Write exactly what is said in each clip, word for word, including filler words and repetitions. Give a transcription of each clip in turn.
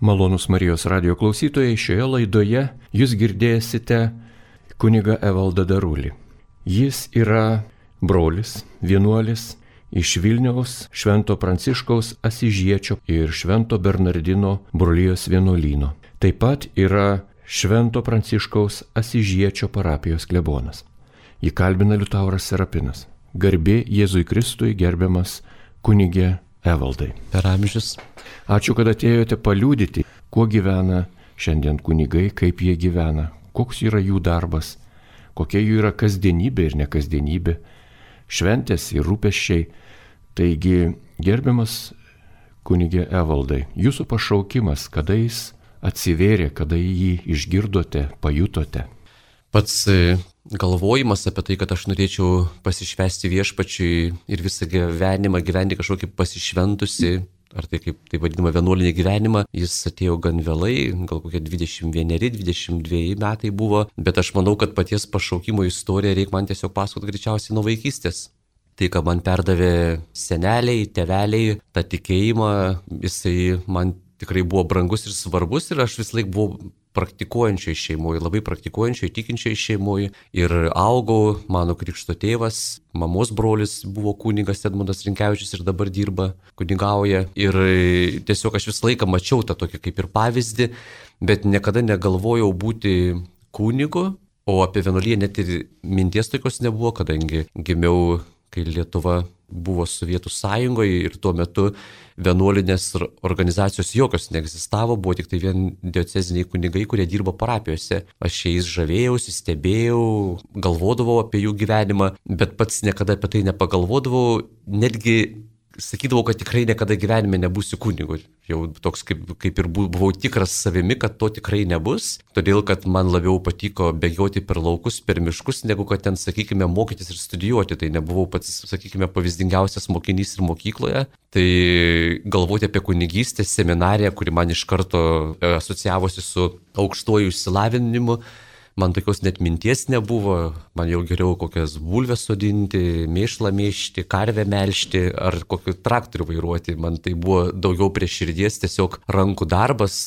Malonūs Marijos radio klausytojai, šioje laidoje jūs girdėsite kunigą Evaldą Darulį. Jis yra brolis, vienuolis iš Vilniaus Švento Pranciškaus Asyžiečio ir Švento Bernardino brolijos vienuolyno. Taip pat yra Švento Pranciškaus Asyžiečio parapijos klebonas. Jį kalbina Liutauras Serapinas. Garbė Jėzui Kristui, gerbiamas kunigė Evaldai. Per amžius. Ačiū, kad atėjote paliudyti, kuo gyvena šiandien kunigai, kaip jie gyvena, koks yra jų darbas, kokia jų yra kasdienybė ir nekasdienybė, šventės ir rūpesčiai. Taigi, gerbiamas kunigė Evaldai, jūsų pašaukimas, kada jis atsivėrė, kada jį išgirdote, pajutote? Pats galvojimas apie tai, kad aš norėčiau pasišvęsti viešpačiui ir visą gyvenimą gyventi kažkokį pasišventusi, ar tai kaip tai vadinama vienuolinį gyvenimą, jis atėjo gan vėlai, gal kokie dvidešimt vieneri dvidešimt dveji metai buvo, bet aš manau, kad paties pašaukimo istoriją reikia man tiesiog pasakoti greičiausiai nuo vaikystės. Tai, ką man perdavė seneliai, tėveliai, tą tikėjimą, jisai man tikrai buvo brangus ir svarbus ir aš vis laik buvau praktikuojančiai šeimoje, labai praktikuojančiai, tikinčiai šeimoje ir augau, mano krikšto tėvas, mamos brolis buvo kunigas Edmundas Rinkevičius ir dabar dirba, kunigauja ir tiesiog aš visą laiką mačiau tą tokį kaip ir pavyzdį, bet niekada negalvojau būti kunigu, o apie vienuoliją net ir minties tokios nebuvo, kadangi gimiau, kai Lietuva buvo Sovietų sąjungoje ir tuo metu vienuolinės organizacijos jokios neegzistavo, buvo tik tai vien dioceziniai kunigai, kurie dirbo parapijose. Aš jais žavėjausi, stebėjau, galvodavau apie jų gyvenimą, bet pats niekada apie tai nepagalvodavau, netgi sakydavau, kad tikrai niekada gyvenime nebūsiu kunigu. Jau toks kaip, kaip ir buvau tikras savimi, kad to tikrai nebus, todėl kad man labiau patiko bėgioti per laukus, per miškus, negu kad ten, sakykime, mokytis ir studijuoti. Tai nebuvau pats, sakykime, pavyzdingiausias mokinys ir mokykloje. Tai galvoti apie kunigystę, seminariją, kuri man iš karto asocijavosi su aukštuoju išsilavinimu, man tokios net minties nebuvo, man jau geriau kokias bulves sodinti, mėšlą mėšti, karvę melžti ar kokį traktorių vairuoti. Man tai buvo daugiau prie širdies, tiesiog rankų darbas,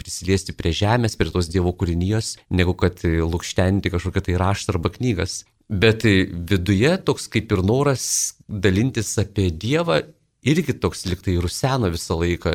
prisiliesti prie žemės, prie tos Dievo kūrinijos, negu kad lukštenti kažkokią tai raštą arba knygas. Bet viduje toks kaip ir noras dalintis apie Dievą irgi toks liktai ruseno visą laiką,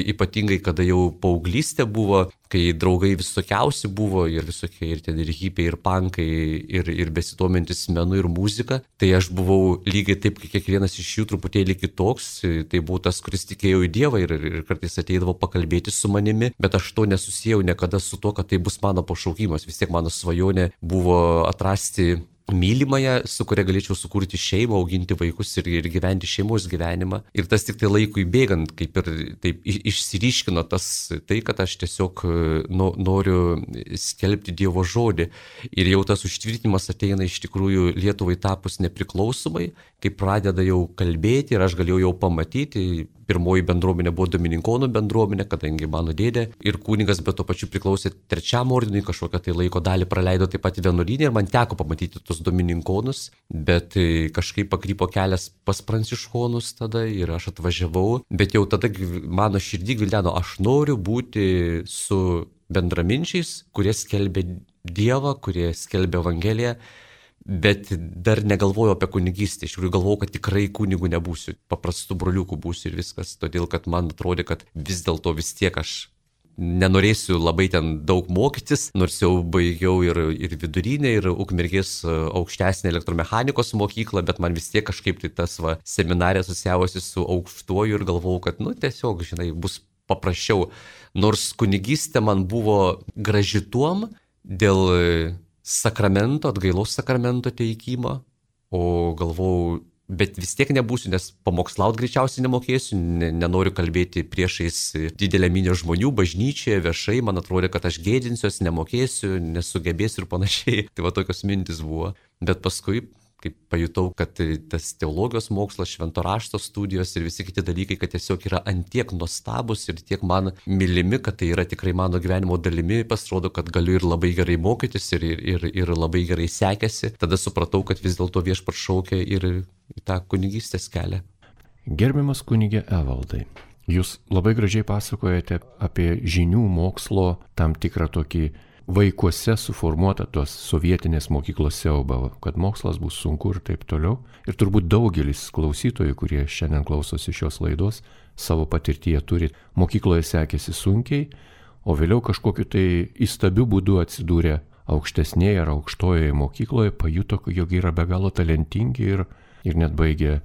ypatingai kada jau paauglystė buvo, kai draugai visokiausi buvo ir visokie ir ten ir hipiai, ir pankai, ir, ir besitomintis menu ir muzika. Tai aš buvau lygiai taip, kaip kiekvienas iš jų truputėlį kitoks, tai buvau tas, kuris tikėjo į Dievą ir, ir kartais ateidavo pakalbėti su manimi, bet aš to nesusijau niekada su to, kad tai bus mano pašaukimas. Vis tiek mano svajonė buvo atrasti mylimąją, su kuria galėčiau sukurti šeimą, auginti vaikus ir, ir gyventi šeimos gyvenimą. Ir tas tik tai laikui bėgant, kaip ir taip išsiryškino tas tai, kad aš tiesiog no, noriu skelbti Dievo žodį. Ir jau tas užtvirtinimas ateina iš tikrųjų Lietuvai tapus nepriklausomai, kai pradeda jau kalbėti ir aš galėjau jau pamatyti. Pirmoji bendruomenė buvo Domininkonų bendruomenė, kadangi mano dėdė ir kunigas, bet to pačiu priklausė trečiam ordinui, kažkokią tai laiko dalį praleido taip pat vienuolyne ir man teko pamatyti tus Domininkonus, bet kažkaip pakrypo kelias pas Pranciškonus tada ir aš atvažiavau, bet jau tada mano širdį gvildeno, aš noriu būti su bendraminčiais, kurie skelbia Dievą, kurie skelbia Evangeliją. Bet dar negalvojau apie kunigystę, iš tikrųjų galvojau, kad tikrai kunigų nebūsiu, paprastų broliukų būsiu ir viskas, todėl kad man atrodė, kad vis dėlto vis tiek aš nenorėsiu labai ten daug mokytis, nors jau baigiau ir, ir vidurinę, ir Ukmergės aukštesnę elektromechanikos mokyklą, bet man vis tiek kažkaip tai tas va, seminarė asociavosi su aukštuoju ir galvojau, kad nu tiesiog, žinai, bus paprasčiau, nors kunigystė man buvo graži tuom dėl sakramento, atgailos sakramento teikimo, o galvojau, bet vis tiek nebūsiu, nes pamokslaut greičiausiai nemokėsiu, ne, nenoriu kalbėti priešais didelę minią žmonių, bažnyčioje, viešai, man atrodė, kad aš gėdinsiuos, nemokėsiu, nesugebėsiu ir panašiai. Tai va tokios mintis buvo. Bet paskui, kaip pajutau, kad tas teologijos mokslas, švento rašto studijos ir visi kiti dalykai, kad tiesiog yra antiek nuostabus ir tiek man mylimi, kad tai yra tikrai mano gyvenimo dalimi, pasirodo, kad galiu ir labai gerai mokytis ir, ir, ir labai gerai sekėsi. Tada supratau, kad vis dėlto viešpats šaukia ir į tą kunigystės kelią. Gerbiamas kunigė Evaldai, Jūs labai gražiai pasakojate apie žinių mokslo tam tikrą tokį vaikuose suformuotą tos sovietinės mokyklos siaubą, kad mokslas bus sunku ir taip toliau. Ir turbūt daugelis klausytojų, kurie šiandien klausosi šios laidos, savo patirtyje turi, mokykloje sekėsi sunkiai, o vėliau kažkokiu tai įstabiu būdu atsidūrė aukštesnėje ar aukštojoje mokykloje, pajuto, jog yra be galo talentingi ir, ir net baigė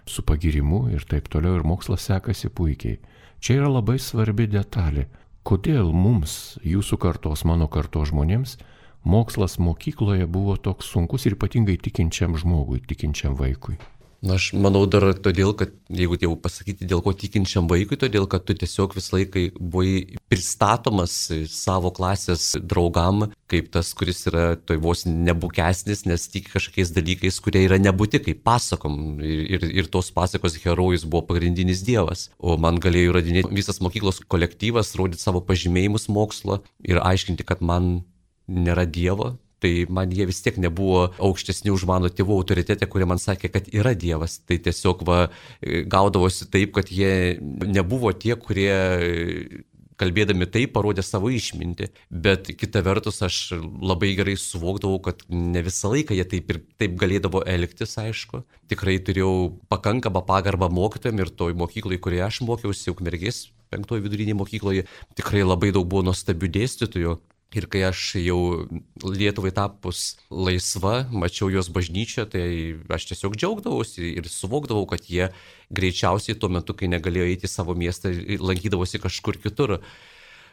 su pagirimu ir taip toliau, ir mokslas sekasi puikiai. Čia yra labai svarbi detalė. Kodėl mums, jūsų kartos, mano kartos žmonėms, mokslas mokykloje buvo toks sunkus ir ypatingai tikinčiam žmogui, tikinčiam vaikui? Na, aš manau dar todėl, kad, jeigu jau pasakyti, dėl ko tikinčiam vaikui, todėl, kad tu tiesiog visą laiką buvai pristatomas savo klasės draugam, kaip tas, kuris yra toj vos nebukesnis, nes tiki kažkokiais dalykais, kurie yra nebūti, kaip pasakom. Ir, ir, ir tos pasakos herojus buvo pagrindinis dievas. O man galėjo įrodinėti visas mokyklos kolektyvas, rodyti savo pažymėjimus mokslo ir aiškinti, kad man nėra dievo. Tai man jie vis tiek nebuvo aukštesni už mano tėvų autoritetę, kurie man sakė, kad yra Dievas. Tai tiesiog va, gaudavosi taip, kad jie nebuvo tie, kurie kalbėdami taip parodė savo išmintį. Bet kita vertus aš labai gerai suvokdavau, kad ne visą laiką jie taip ir taip galėdavo elgtis, aišku. Tikrai turėjau pakankamą pagarbą mokytojams ir toj mokyklai, kurioje aš mokiausi, Ukmergės penktoje vidurinėje mokykloje, tikrai labai daug buvo nuostabių dėstytojų. Ir kai aš jau Lietuvai tapus laisva, mačiau jos bažnyčią, tai aš tiesiog džiaugdavausi ir suvokdavau, kad jie greičiausiai tuo metu, kai negalėjo eiti į savo miestą, lankydavosi kažkur kitur.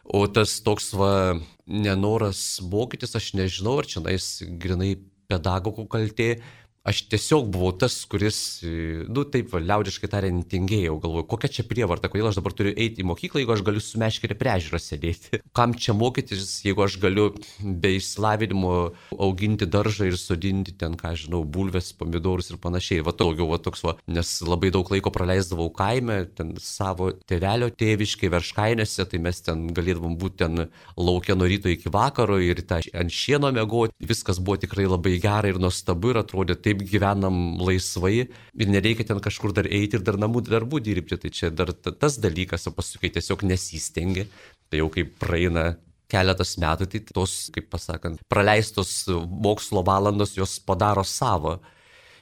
O tas toks va nenoras mokytis, aš nežinau, ar čia nais grinai pedagogų kaltė. Aš tiesiog buvau tas, kuris, nu taip, liaudiškai tariant, tingėjau, galvoju, kokia čia prievarta, kodėl aš dabar turiu eiti į mokyklą, jeigu aš galiu su meškerė prie ežero sėdėti. Kam čia mokytis, jeigu aš galiu be išsilavinimo auginti daržą ir sodinti ten, ką žinau, bulves, pomidorus ir panašiai. Va daugiau, va toks va, nes labai daug laiko praleisdavau kaime, ten savo tėvelio tėviškai, Verškainėse, tai mes ten galėdavom būti ten laukia nuo ryto iki vakaro ir tą ant šieno miegoti. Viskas buvo tikrai labai gera ir nuostabu ir atrodė taip gyvenam laisvai ir nereikia ten kažkur dar eiti ir dar namų darbų dirbti. Tai čia dar tas dalykas, o paskui tiesiog nesistengi. Tai jau kaip praeina keletas metų, tai tos, kaip pasakant, praleistos mokslo valandos jos padaro savo.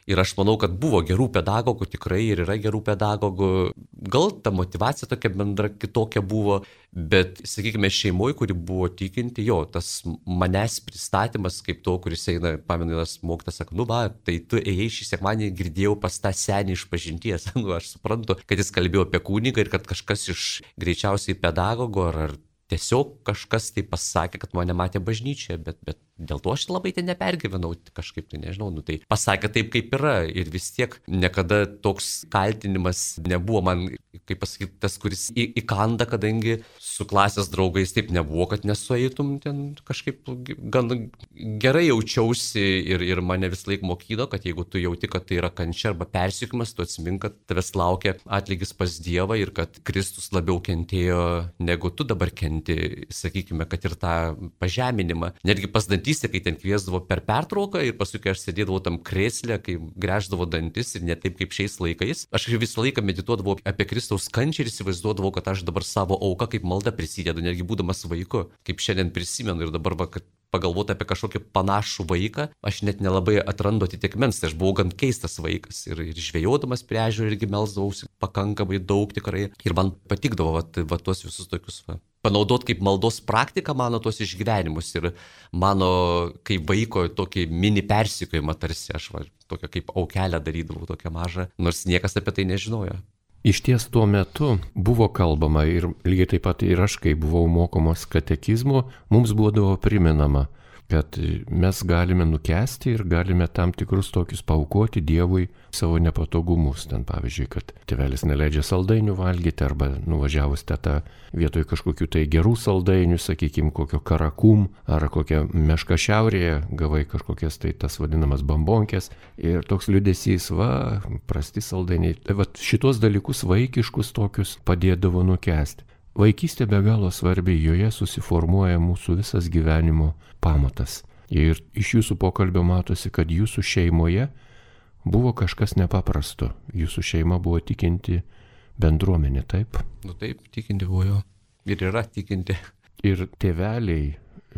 Ir aš manau, kad buvo gerų pedagogų tikrai ir yra gerų pedagogų. Gal ta motyvacija tokia bendra kitokia buvo, bet, sakykime, šeimoje, kuri buvo tikinti, jo, tas manęs pristatymas kaip to, kuris eina, pameninas mokytas, sako, nu va, tai tu ėjai šį sekmanį, girdėjau pas tą senį iš pažinties. Nu, aš suprantu, kad jis kalbėjo apie kunigą ir kad kažkas iš greičiausiai pedagogo ar, ar tiesiog kažkas tai pasakė, kad mane matė bažnyčioje, bet, bet dėl to aš labai ten nepergyvenau, kažkaip tai nežinau, nu tai pasakė taip, kaip yra ir vis tiek niekada toks kaltinimas nebuvo man, kaip pasakyti, tas, kuris į, įkanda, kadangi su klasės draugais taip nebuvo, kad nesueitum ten kažkaip gan gerai jaučiausi ir, ir mane vis laik mokydo, kad jeigu tu jauti, kad tai yra kančia arba persiekimas, tu atsimink, kad tavęs laukia atlygis pas Dievą ir kad Kristus labiau kentėjo negu tu dabar kenti, sakykime, kad ir tą pažeminimą. Netgi pas dantystę, kai ten kviesdavo per pertrauką ir paskui, kai aš sėdėdavau tam krėsle, kai gręždavo dantis ir ne taip kaip šiais laikais, aš visą laiką medituodavau apie Kristaus kančią ir įsivaizduodavau, kad aš dabar savo auką kaip malda prisidedu, netgi būdamas vaiku, kaip šiandien prisimenu ir dabar, va, kad pagalvoti apie kažkokį panašų vaiką, aš net nelabai atrandu atitikmens, tai aš buvau gan keistas vaikas ir, ir žvejodamas prie ežero irgi melsdavausi pakankamai daug tikrai ir man patikdavo va, va tuos visus tokius va, panaudot kaip maldos praktiką mano tuos išgyvenimus ir mano kaip vaiko tokį mini persikojimą tarsi aš va, tokią kaip aukelę darydavau tokią mažą, nors niekas apie tai nežinojo. Iš ties tuo metu buvo kalbama ir lygiai taip pat ir aš, kai buvau mokomas katekizmo, mums būdavo priminama, kad mes galime nukesti ir galime tam tikrus tokius paaukoti Dievui savo nepatogumus. Ten pavyzdžiui, kad tėvelis neleidžia saldainių valgyti arba nuvažiavus teta vietoj kažkokių tai gerų saldainių, sakykime, kokio karakum ar kokią mešką šiaurėje, gavai kažkokias tai tas vadinamas bambonkės ir toks liūdesys, va, prasti saldainiai. Tai va šitos dalykus vaikiškus tokius padėdavo nukesti. Vaikystė be galo svarbi, joje susiformuoja mūsų visas gyvenimo pamatas. Ir iš jūsų pokalbio matosi, kad jūsų šeimoje buvo kažkas nepaprasto. Jūsų šeima buvo tikinti bendruomenė, taip? Nu taip, tikinti buvo jo. Ir yra tikinti. Ir tėveliai,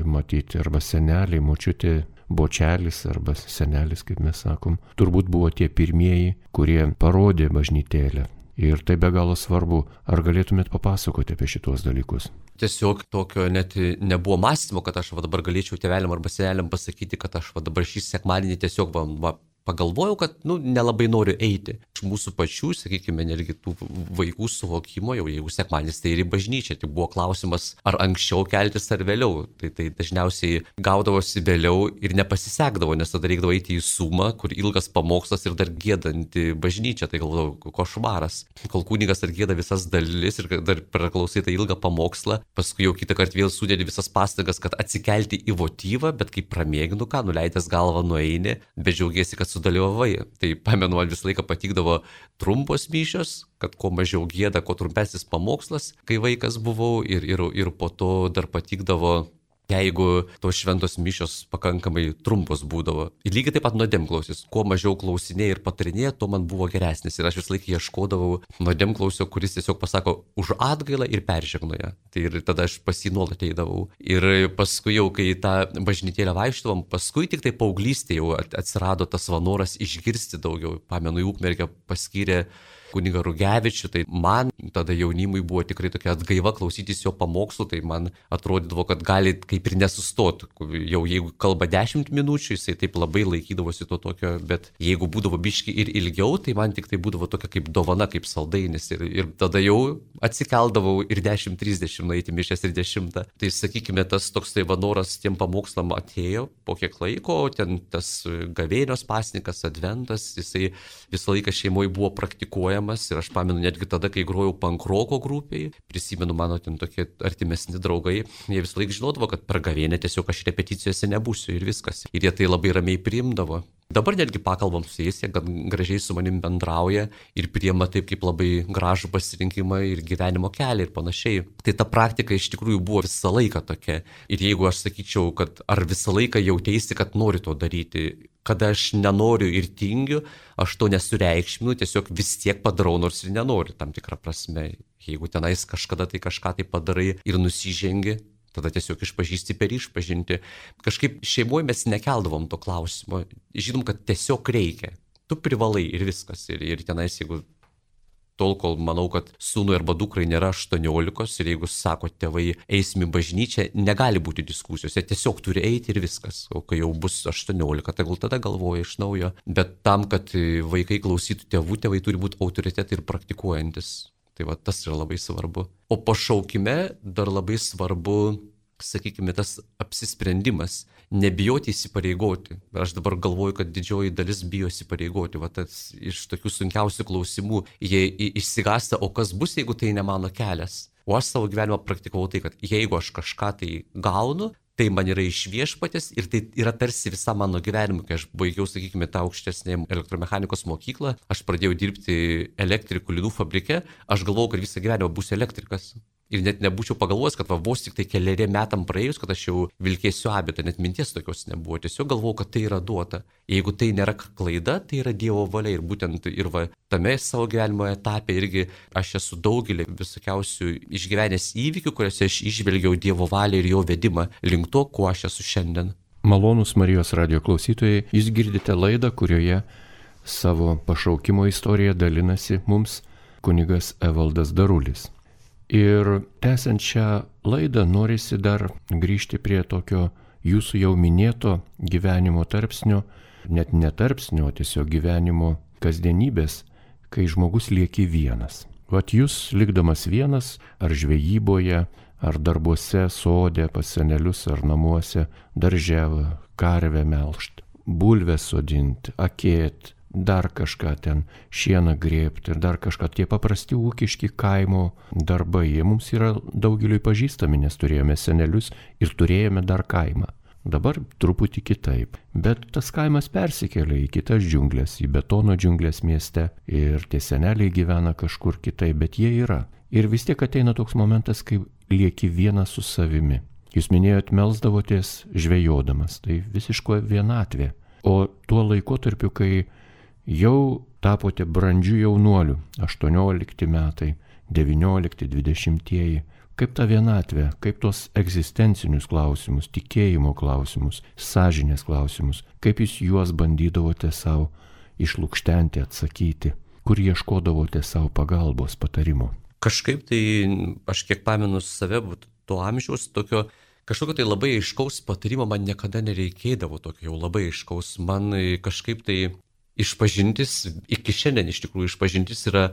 matyti, arba seneliai, močiutė, bočelis arba senelis, kaip mes sakom, turbūt buvo tie pirmieji, kurie parodė bažnytėlę. Ir tai be galo svarbu. Ar galėtumėt papasakoti apie šitos dalykus? Tiesiog tokio net nebuvo mąstymo, kad aš va dabar galėčiau tėveliam arba seneliam pasakyti, kad aš va dabar šį sekmadienį tiesiog va, va, pagalvojau, kad nu, nelabai noriu eiti. Iš mūsų pačių, sakykime, netgi tų vaikų suvokimo, jau jeigu sekmadienis, tai ir į bažnyčią. Tai buvo klausimas, ar anksčiau keltis ar vėliau. Tai, tai dažniausiai gaudavosi vėliau ir nepasisekdavo, nes tada reikdavo eiti į sumą, kur ilgas pamokslas ir dar gėdanti bažnyčia. Tai galvodavau, košmaras. Kol kunigas dar gėda visas dalis ir dar praklausai tą ilgą pamokslą, paskui jau kitą kartą vėl sudėdi visas pastangas, kad atsikelti į votyvą, bet kai pramėginu ką, nuleidęs galvą nueini, bet džiaugiesi, kad sudalyvavai. Tai pamenu, man visą laiką patikdavo trumpos mišios, kad kuo mažiau gėda, kuo trumpesnis pamokslas, kai vaikas buvau, ir, ir, ir po to dar patikdavo, jeigu tos šventos mišios pakankamai trumpos būdavo. Ir lygiai taip pat nuodėmklausis. Kuo mažiau klausinėjai ir patarinėjai, tuo man buvo geresnis. Ir aš visą laiką ieškodavau nuodėmklausio, kuris tiesiog pasako už atgailą ir peržegnoja. Tai ir tada aš pas jį nuolat eidavau. Ir paskui jau, kai tą bažnytėlę vaikštavom, paskui tik tai paauglystėje jau atsirado tas noras išgirsti daugiau. Pamenu, į Ukmergę paskyrė kunigą Rugevičių, tai man tada jaunimui buvo tikrai tokia atgaiva klausytis jo pamokslų, tai man atrodydavo, kad gali kaip ir nesustoti. Jau jeigu kalba dešimt minučių, jisai taip labai laikydavosi to tokio, bet jeigu būdavo biški ir ilgiau, tai man tik tai būdavo tokia kaip dovana, kaip saldainis. Ir, ir tada jau atsikeldavau ir dešimt trisdešimt nueiti mišias ir dešimtą. Tai sakykime, tas toks tai vanoras tiem pamokslam atėjo po kiek laiko, ten tas gavėnios pasninkas, adventas, jisai visą laiką šeimoje buvo praktikuojamas. Ir aš pamenu netgi tada, kai grojau pankroko grupėje, prisimenu mano ten tokie artimesni draugai, jie visą laiką žinodavo, kad per gavėnę tiesiog aš repeticijose nebūsiu ir viskas. Ir jie tai labai ramiai priimdavo. Dabar netgi pakalbam su jais, jie gan gražiai su manim bendrauja ir priima taip kaip labai gražų pasirinkimą ir gyvenimo kelią ir panašiai. Tai ta praktika iš tikrųjų buvo visą laiką tokia. Ir jeigu aš sakyčiau, kad ar visą laiką jautėsi, kad nori to daryti, kada aš nenoriu ir tingiu, aš to nesureikšminu, tiesiog vis tiek padarau, nors ir nenoriu tam tikrą prasme. Jeigu tenais kažkada tai kažką tai padarai ir nusižengi, tada tiesiog išpažįsti per išpažinti. Kažkaip šeimoje mes nekeldavom to klausimo. Žinom, kad tiesiog reikia. Tu privalai ir viskas. Ir, ir tenais, jeigu tol, kol manau, kad sūnui arba dukrai nėra aštuoniolikos ir jeigu sako tėvai eisim į bažnyčią, negali būti diskusijos. Jie tiesiog turi eiti ir viskas. O kai jau bus aštuoniolika, tai gal tada galvoja iš naujo. Bet tam, kad vaikai klausytų tėvų, tėvai turi būti autoritetai ir praktikuojantis. Tai va, tas yra labai svarbu. O pašaukime dar labai svarbu, sakykime, tas apsisprendimas, nebijoti įsipareigoti. Aš dabar galvoju, kad didžioji dalis bijo įsipareigoti. Va, tas iš tokių sunkiausių klausimų jie išsigąsta, o kas bus, jeigu tai ne mano kelias. O aš savo gyvenimą praktikavau tai, kad jeigu aš kažką tai gaunu, tai man yra iš viešpatės ir tai yra tarsi visa mano gyvenimą. Kai aš baigiau, sakykime, tą aukštesnę elektromechanikos mokyklą, aš pradėjau dirbti elektrikų linų fabrike, aš galvojau, kad visą gyvenimą būsiu elektrikas. Ir net nebūčiau pagalvojęs, kad va, vos tik tai keliariem metam praėjus, kad aš jau vilkėsiu abitą, net minties tokios nebuvo. Tiesiog galvojau, kad tai yra duota. Jeigu tai nėra klaida, tai yra Dievo valia. Ir būtent ir va, tame savo gyvenimo etape irgi aš esu daugelį visokiausių išgyvenęs įvykių, kuriuose aš išvelgiau Dievo valią ir jo vedimą link to, kuo aš esu šiandien. Malonūs Marijos radijo klausytojai, jūs girdite laidą, kurioje savo pašaukimo istoriją dalinasi mums kunigas Evaldas Darulis. Ir tęsiant šią laidą norisi dar grįžti prie tokio jūsų jau minėto gyvenimo tarpsnio, net ne tarpsnio, tiesiog gyvenimo kasdienybės, kai žmogus lieki vienas. Vat jūs likdamas vienas, ar žvejyboje, ar darbuose, sode, pas senelius, ar namuose, darže, karvę melžt, bulves sodinti, akėt, dar kažką ten, šieną grėbti ir dar kažką. Tie paprasti ūkiški kaimo darbai, jie mums yra daugeliui pažįstami, nes turėjome senelius ir turėjome dar kaimą. Dabar truputį kitaip, bet tas kaimas persikėlė į kitas džiunglės, į betono džiunglės mieste ir tie seneliai gyvena kažkur kitaip, bet jie yra. Ir vis tiek ateina toks momentas, kai lieki vienas su savimi. Jūs minėjot, melsdavotės žvejodamas, tai visiško vienatvė. O tuo laikotarpiu, kai jau tapote brandžių jaunuolių, aštuoniolikti metai, devyniolikti, dvidešimtieji. Kaip ta vienatvė, kaip tos egzistencinius klausimus, tikėjimo klausimus, sąžinės klausimus, kaip jūs juos bandydavote savo išlukštenti, atsakyti, kur ieškodavote savo pagalbos, patarimo? Kažkaip tai, aš kiek pamenu save, to amžiaus, tokio kažkokio tai labai aiškaus patarimo man niekada nereikėdavo, tokio jau labai aiškaus. Man kažkaip tai išpažintis, iki šiandien iš tikrųjų išpažintis yra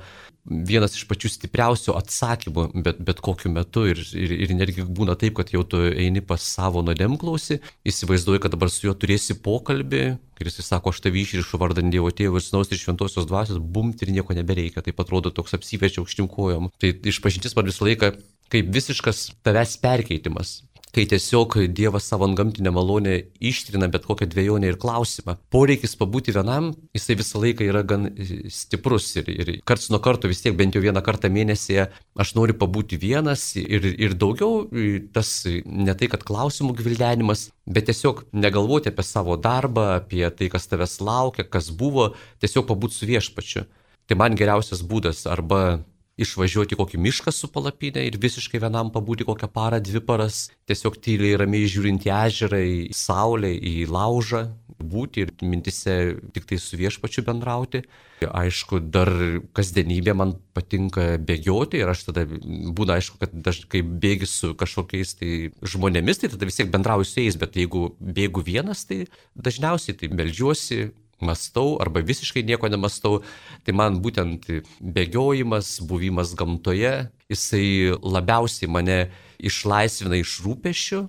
vienas iš pačių stipriausių atsakymų bet, bet kokiu metu ir, ir, ir netgi būna taip, kad jau tu eini pas savo nuodėmklausį, įsivaizduoji, kad dabar su juo turėsi pokalbį, ir jis sako, aš tavį išrišu vardan Dievo Tėvo ir Sūnaus ir Šventosios Dvasios, bumt ir nieko nebereikia, taip atrodo toks apsiverčia aukštyn kojom. Tai išpažintis man visą laiką kaip visiškas tavęs perkeitimas. Kai tiesiog Dievas savo antgamtinę malonę ištrina bet kokią dvejonę ir klausimą. Poreikis pabūti vienam, jisai visą laiką yra gan stiprus ir, ir karts nuo karto vis tiek bent jau vieną kartą mėnesyje aš noriu pabūti vienas ir, ir daugiau tas ne tai, kad klausimų gvildenimas, bet tiesiog negalvoti apie savo darbą, apie tai, kas tavęs laukia, kas buvo, tiesiog pabūti su viešpačiu. Tai man geriausias būdas arba išvažiuoti kokį mišką su palapinė ir visiškai vienam pabūti kokią parą, dvi paras, tiesiog tyliai ramiai žiūrint į ežerą, į saulę, į laužą, būti ir mintise tik tai su viešpačiu bendrauti. Aišku, dar kasdienybė man patinka bėgioti ir aš tada būna aišku, kad daž, kai bėgi su kažkokiais tai žmonėmis, tai tada vis tiek bendrauju su jais, bet jeigu bėgu vienas, tai dažniausiai tai meldžiuosi, mąstau arba visiškai nieko nemąstau, tai man būtent bėgiojimas, buvimas gamtoje, jisai labiausiai mane išlaisvina iš rūpesčių,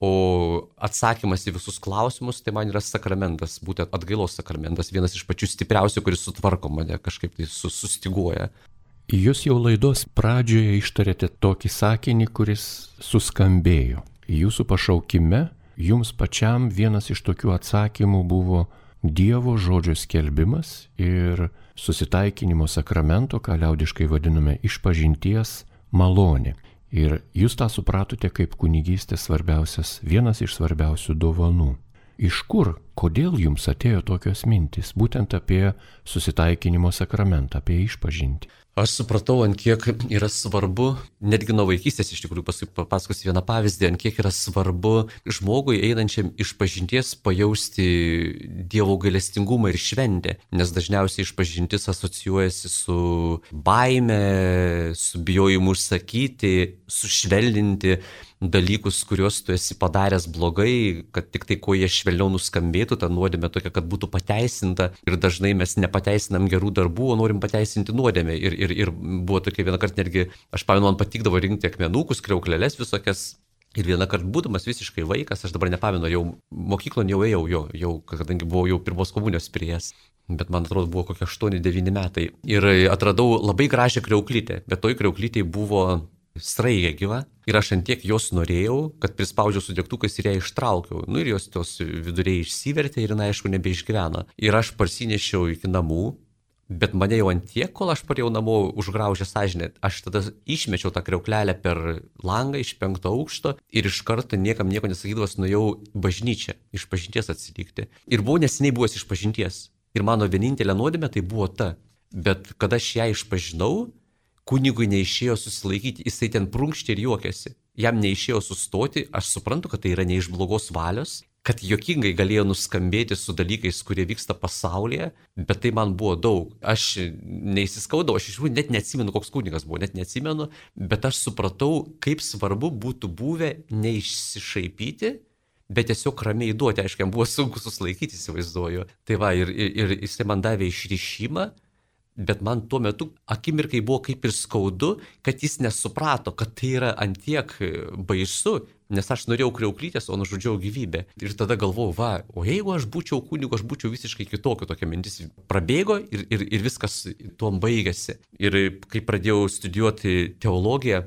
o atsakymas į visus klausimus, tai man yra sakramentas, būtent atgailos sakramentas, vienas iš pačių stipriausių, kuris sutvarko mane, kažkaip tai sustiguoja. Jūs jau laidos pradžioje ištarėte tokį sakinį, kuris suskambėjo. Jūsų pašaukime, jums pačiam vienas iš tokių atsakymų buvo Dievo žodžio skelbimas ir susitaikinimo sakramento, ką liaudiškai vadiname išpažinties malonė. Ir jūs tą supratote kaip kunigystės svarbiausias, vienas iš svarbiausių dovanų. Iš kur, kodėl jums atėjo tokios mintys, būtent apie susitaikinimo sakramentą, apie išpažintį? Aš supratau, ant kiek yra svarbu, netgi nuo vaikystės iš tikrųjų papasakosiu vieną pavyzdį, ant kiek yra svarbu žmogui einančiam išpažinties pajausti Dievo gailestingumą ir šventę, nes dažniausiai išpažintis asocijuojasi su baime, su bijojimu užsakyti, sušvelninti dalykus, kuriuos tu esi padaręs blogai, kad tik tai kuo jie švelniau nuskambėtų, ta nuodėmė tokia, kad būtų pateisinta ir dažnai mes nepateisinam gerų darbų, o norim pateisinti nuodėmę. Ir, ir, ir buvo tokia vieną kartą netgi, aš pamenu, man patikdavo rinkti akmenukus, kriauklelės visokias. Ir vieną kartą būdamas visiškai vaikas, aš dabar nepamenu, jau mokyklon jau ėjau, jo, jau, kadangi buvau jau pirmos komunijos priėjęs. Bet man atrodo buvo kokie aštuoni devyni metai. Ir atradau labai gražią kriauklytę, bet toj kriauklytėj buvo sraigė gyva ir aš ant tiek jos norėjau, kad prispaudžiau su degtukais ir ją ištraukiau. Nu ir jos tos viduriai išsivertė ir jinai aišku nebeišgyveno. Ir aš parsinešiau iki namų, bet mane jau ant tiek, kol aš parėjau namo užgraužę sąžinę, aš tada išmečiau tą kriauklelę per langą iš penkto aukšto ir iš karto niekam nieko nesakydavas nuėjau bažnyčią, iš pažinties atsilikti. Ir buvau neseniai buvęs iš pažinties. Ir mano vienintelė nuodėmė tai buvo ta. Bet kada aš ją išpažinau, kunigui neišėjo susilaikyti, jisai ten prunkštė ir juokėsi. Jam neišėjo sustoti, aš suprantu, kad tai yra ne iš blogos valios, kad juokingai galėjo nuskambėti su dalykais, kurie vyksta pasaulyje, bet tai man buvo daug. Aš neįsiskaudau, aš iš tikrųjų net neatsimenu, koks kunigas buvo, net neatsimenu, bet aš supratau, kaip svarbu būtų buvę neišsišaipyti, bet tiesiog ramiai duoti, aišku, jam buvo sunku susilaikyti, įsivaizduoju. Tai va, ir, ir, ir jisai man davė išrišimą, bet man tuo metu akimirkai buvo kaip ir skaudu, kad jis nesuprato, kad tai yra antiek baisu, nes aš norėjau kriauklytės, o nužudžiau gyvybę. Ir tada galvojau, va, o jeigu aš būčiau kunigu, aš būčiau visiškai kitokio, tokia mintis prabėgo ir, ir, ir viskas tuom baigėsi. Ir kai pradėjau studijuoti teologiją,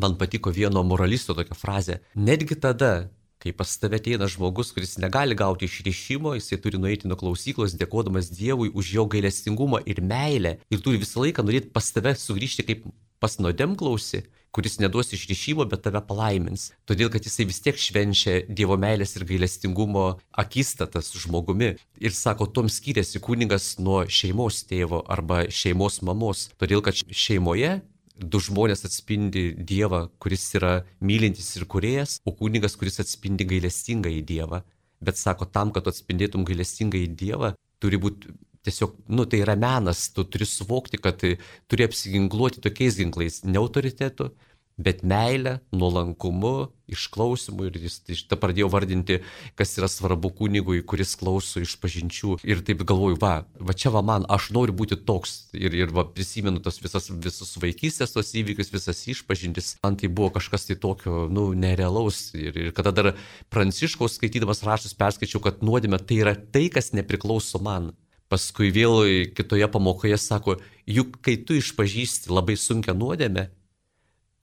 man patiko vieno moralisto tokia frazė, netgi tada, kai pas tave ateina žmogus, kuris negali gauti išrišimo, jisai turi nueiti nuo klausyklos, dėkodamas Dievui už jo gailestingumą ir meilę ir turi visą laiką norėti pas tave sugrįžti kaip pas nuodėmklausį, kuris neduos išrišimo, bet tave palaimins. Todėl, kad jisai vis tiek švenčia Dievo meilės ir gailestingumo akistatą su žmogumi. Ir sako, tom skiriasi kunigas nuo šeimos tėvo arba šeimos mamos. Todėl, kad šeimoje du žmonės atspindi Dievą, kuris yra mylintis ir kūrėjas, o kunigas, kuris atspindi gailestingąjį Dievą. Bet sako, tam, kad tu atspindėtum gailestingąjį Dievą, turi būti tiesiog, nu tai yra menas, tu turi suvokti, kad turi apsiginkluoti tokiais ginklais, ne autoritetu, bet meilę, nuolankumu, išklausimu. Ir jis tą pradėjo vardinti, kas yra svarbu kunigui, kuris klauso išpažinčių. Ir taip galvoju, va, va čia va man, aš noriu būti toks. Ir, ir va, prisimenu tos visas, visus vaikystės tos įvykius, visas išpažintis. Man tai buvo kažkas tai tokio, nu, nerealaus. Ir, ir kada dar Pranciškaus skaitydamas raštus perskaičiau, kad nuodėmė tai yra tai, kas nepriklauso man. Paskui vėl kitoje pamokoje sako, juk kai tu išpažįsti labai sunkią nuodėmę,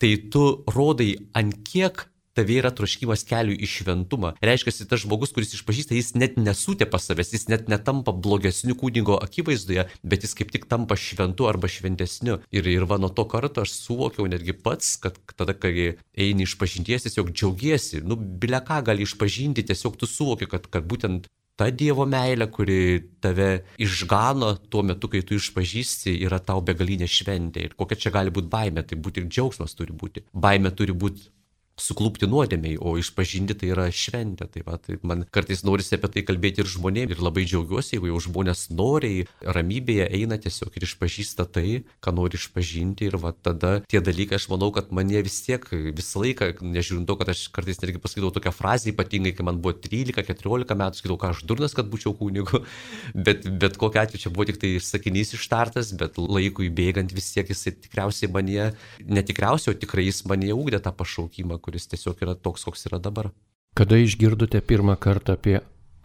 tai tu rodai, ant kiek tave yra troškimas kelių į šventumą. Reiškia, tas žmogus, kuris išpažįsta, jis net nesutėpa savęs, jis net netampa blogesniu kunigo akivaizdoje, bet jis kaip tik tampa šventu arba šventesniu. Ir, ir va nuo to karto aš suvokiau netgi pats, kad tada, kai eini išpažinties, tiesiog džiaugiesi. Nu, bile ką gali išpažinti, tiesiog tu suvoki, kad, kad būtent ta Dievo meilė, kuri tave išgano tuo metu, kai tu išpažįsti, yra tau begalinė šventė. Ir kokia čia gali būti baimė, tai būti ir džiaugsmas turi būti. Baimė turi būti suklūpti nuodėmiai, o išpažinti tai yra šventė. Tai, va, tai man kartais norisi apie tai kalbėti ir žmonėms. Ir labai džiaugiuosi, jeigu jau žmonės noriai, ramybėje eina tiesiog ir išpažįsta tai, ką nori išpažinti. Ir va, tada tie dalykai, aš manau, kad mane vis tiek visą laiką, nežiūrint to, kad aš kartais netgi pasakydavau tokią frazę, ypatingai, kai man buvo trylika keturiolika metų, sakydavau, ką aš durnas, kad būčiau kunigu. Bet, bet kokiu atveju čia buvo tik tai sakinys ištartas, bet laikui bėgant vis tiek jisai tikriausiai mane, netikriausiai, o tikrai jis mane ugdė tą pašaukimą, kuris tiesiog yra toks, koks yra dabar. Kada išgirdote pirmą kartą apie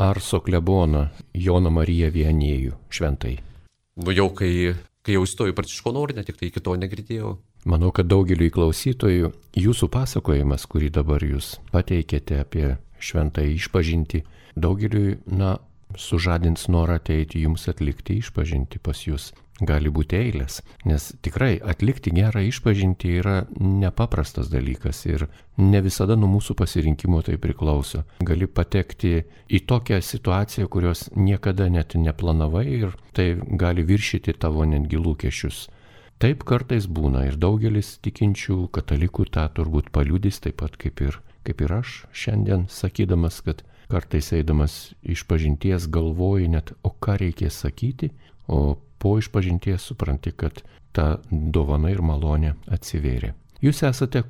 Arso kleboną Joną Mariją Viannėjų šventai? Nu jau kai, kai jau įstojau į Pranciškonų ordiną, tik tai iki to negirdėjau. Manau, kad daugeliui klausytojų jūsų pasakojimas, kurį dabar jūs pateikėte apie šventąją išpažintį, daugeliui, na, sužadins norą ateiti jums atlikti išpažintį pas jūs. Gali būti eilės, nes tikrai atlikti gerą išpažintį yra nepaprastas dalykas ir ne visada nuo mūsų pasirinkimo tai priklauso. Gali patekti į tokią situaciją, kurios niekada net neplanavai ir tai gali viršyti tavo netgi lūkesčius. Taip kartais būna ir daugelis tikinčių katalikų tą turbūt paliudys, taip pat kaip ir, kaip ir aš šiandien sakydamas, kad kartais eidamas išpažinties galvoji net, o ką reikės sakyti, o po išpažinties supranti, kad ta dovana ir malonė atsivėrė. Jūs esate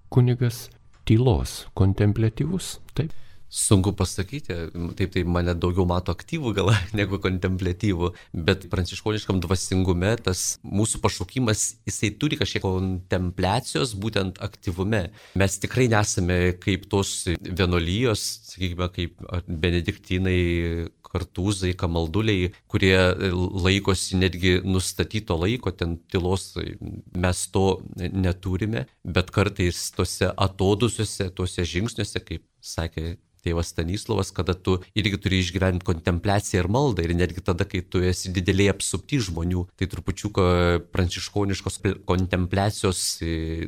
kunigas tylos, kontempliatyvus, taip? Sunku pasakyti, taip tai mane daugiau mato aktyvų gal negu kontempliatyvų, bet pranciškoniškam dvasingume tas mūsų pašaukimas, jisai turi kažkiek kontempliacijos būtent aktyvume. Mes tikrai nesame kaip tos vienuolijos, sakykime, kaip benediktinai, kartūzai, kamalduliai, kurie laikosi netgi nustatyto laiko, ten tylos mes to neturime, bet kartais tose atodusiuose, tose žingsniuose, kaip sakė tėvas Stanislovas, kada tu irgi turi išgyventi kontempliaciją ir maldą ir netgi tada, kai tu esi didelėje apsupti žmonių, tai trupučiuką pranciškoniškos kontempliacijos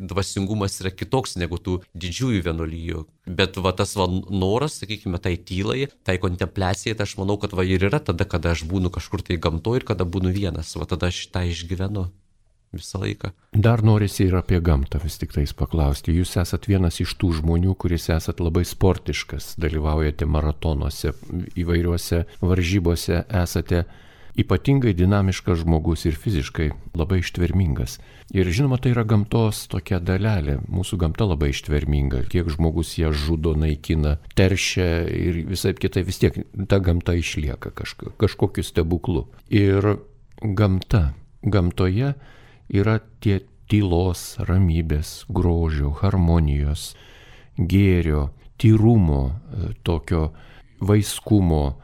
dvasingumas yra kitoks negu tų didžiųjų vienuolijų. Bet va tas va noras, sakykime, tai tylai, tai kontempliacijai, tai aš manau, kad va ir yra tada, kada aš būnu kažkur tai gamtoje ir kada būnu vienas, va tada aš tą išgyvenu visą laiką. Dar norisi ir apie gamtą vis tik tais paklausti. Jūs esat vienas iš tų žmonių, kuris esat labai sportiškas, dalyvaujate maratonuose, įvairiuose varžybose, esate ypatingai dinamiškas žmogus ir fiziškai labai ištvermingas. Ir žinoma, tai yra gamtos tokia dalelė. Mūsų gamta labai ištverminga. Kiek žmogus ją žudo, naikina, teršia ir visai kitai, vis tiek ta gamta išlieka kažko, kažkokiu stebuklu. Ir gamta, gamtoje yra tie tylos, ramybės, grožio, harmonijos, gėrio, tyrumo, tokio vaiskumo,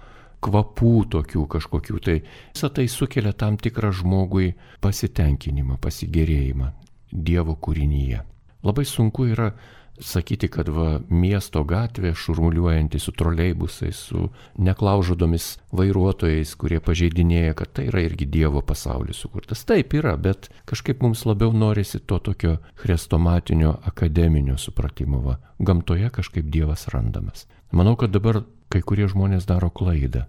kvapų tokių kažkokių. Tai visą tai sukelia tam tikrą žmogui pasitenkinimą, pasigėrėjimą Dievo kūrinyje. Labai sunku yra sakyti, kad va, miesto gatvė šurmuliuojanti su troleibusais, su neklaužodomis vairuotojais, kurie pažeidinėja, kad tai yra irgi Dievo pasaulis sukurtas. Taip yra, bet kažkaip mums labiau norisi to tokio chrestomatinio akademinio supratimo. Va. Gamtoje kažkaip Dievas randamas. Manau, kad dabar kai kurie žmonės daro klaidą.